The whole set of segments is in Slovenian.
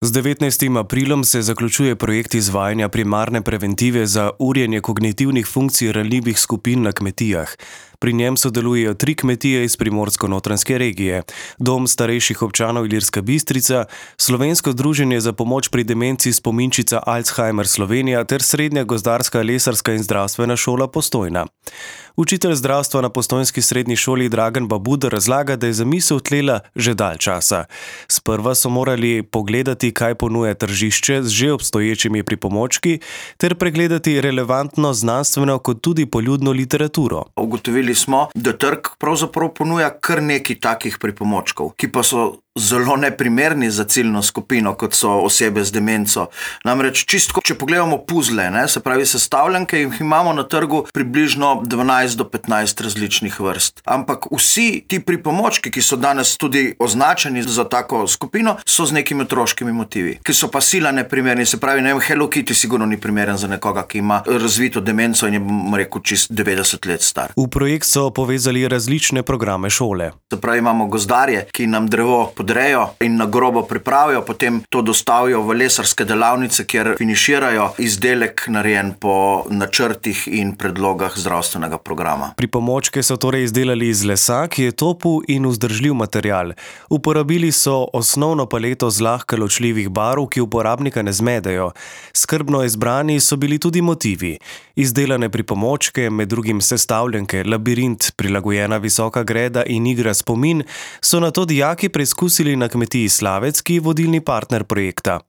Z 19. aprilom se zaključuje projekt izvajanja primarne preventive za urjenje kognitivnih funkcij ranljivih skupin na kmetijah. Pri njem sodelujejo 3 kmetije iz Primorsko-notranjske regije, Dom starejših občanov Ilirska Bistrica, Slovensko združenje za pomoč pri demenci Spominčica Alzheimer Slovenija ter Srednja gozdarska, lesarska in zdravstvena šola Postojna. Učitelj zdravstva na postojnski srednji šoli Dragan Babuder razlaga, da je zamisel tlela že dalj časa. Sprva so morali pogledati, kaj ponuja tržišče z že obstoječimi pripomočki, ter pregledati relevantno znanstveno kot tudi poljudno literaturo. Ugotovili smo, da trg pravzaprav ponuja kar nekaj takih pripomočkov, ki pa so zelo neprimerni za ciljno skupino, kot so osebe z demenco. Namreč čisto, če pogledamo puzle, se pravi sestavljanke, jih imamo na trgu približno 12 do 15 različnih vrst. Ampak vsi ti pripomočki, ki so danes tudi označeni za tako skupino, so z nekimi otroškimi motivi, ki so pa sila neprimerni. Se pravi, Hello Kitty sigurno ni primeren za nekoga, ki ima razvito demenco in je, bom rekel, čist 90 let star. V projekt so povezali različne programe šole. Se pravi, imamo gozdarje, ki nam drevo podrejo in na grobo pripravijo, potem to dostavijo v lesarske delavnice, kjer finiširajo izdelek narejen po načrtih in predlogah zdravstvenega programa. Pripomočke so torej izdelali iz lesa, ki je topel in vzdržljiv material. Uporabili so osnovno paleto zlahka ločljivih barv, ki uporabnika ne zmedejo. Skrbno izbrani so bili tudi motivi. Izdelane pripomočke, med drugim sestavljanke, labirint, prilagojena visoka greda in igra spomin, so nato dijaki preizkusili na kmetiji Slavec, ki je vodilni partner projekta.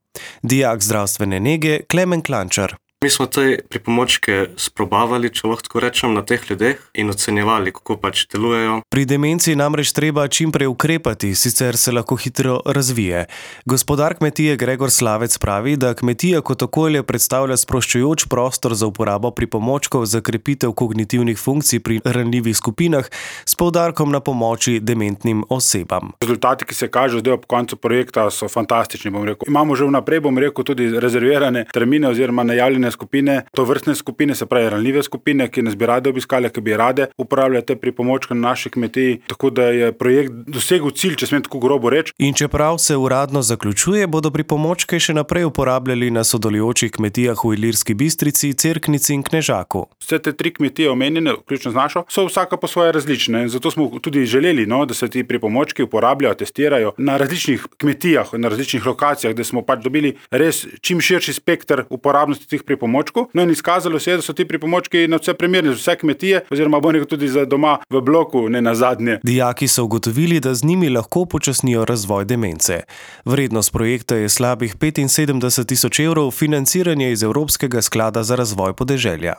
Dijak zdravstvene nege Klemen Klančar. Mi smo te pripomočke sprobavali, če lahko tako rečem, na teh ljudeh in ocenjevali, kako pač delujejo. Pri demenci namreč treba čim prej ukrepati, sicer se lahko hitro razvije. Gospodar kmetije Gregor Slavec pravi, da kmetija kot okolje predstavlja sproščujoč prostor za uporabo pripomočkov za krepitev kognitivnih funkcij pri ranljivih skupinah s poudarkom na pomoči dementnim osebam. Rezultati, ki se kažejo zdaj ob koncu projekta, so fantastični, bom rekel. Imamo že vnaprej, bom rekel, tudi rezervirane termine oziroma najavljene skupine, to vrstne skupine, se pravi ranljive skupine, ki nas bi rade obiskali, ki bi rade uporabljali te pripomočke na naši kmetiji, tako da je projekt dosegel cilj, če smem tako grobo reči. In čeprav se uradno zaključuje, bodo pripomočke še naprej uporabljali na sodelujočih kmetijah v Ilirski Bistrici, Cerknici in Knežaku. Vse te 3 kmetije omenjene, vključno z našo, so vsaka po svoje različne. Zato smo tudi želeli, da se ti pripomočki uporabljajo, testirajo na različnih kmetijah, na različnih lokacijah, da smo pač dobili res čim širši spekter uporabnosti teh pripomočkov. In izkazalo se je, da so ti pripomočki na vse primerni za vse kmetije, oziroma bo nekaj tudi za doma v bloku, ne nazadnje. Dijaki so ugotovili, da z njimi lahko počasnijo razvoj demence. Vrednost projekta je slabih 75 tisoč evrov, financiranje iz Evropskega sklada za razvoj podeželja.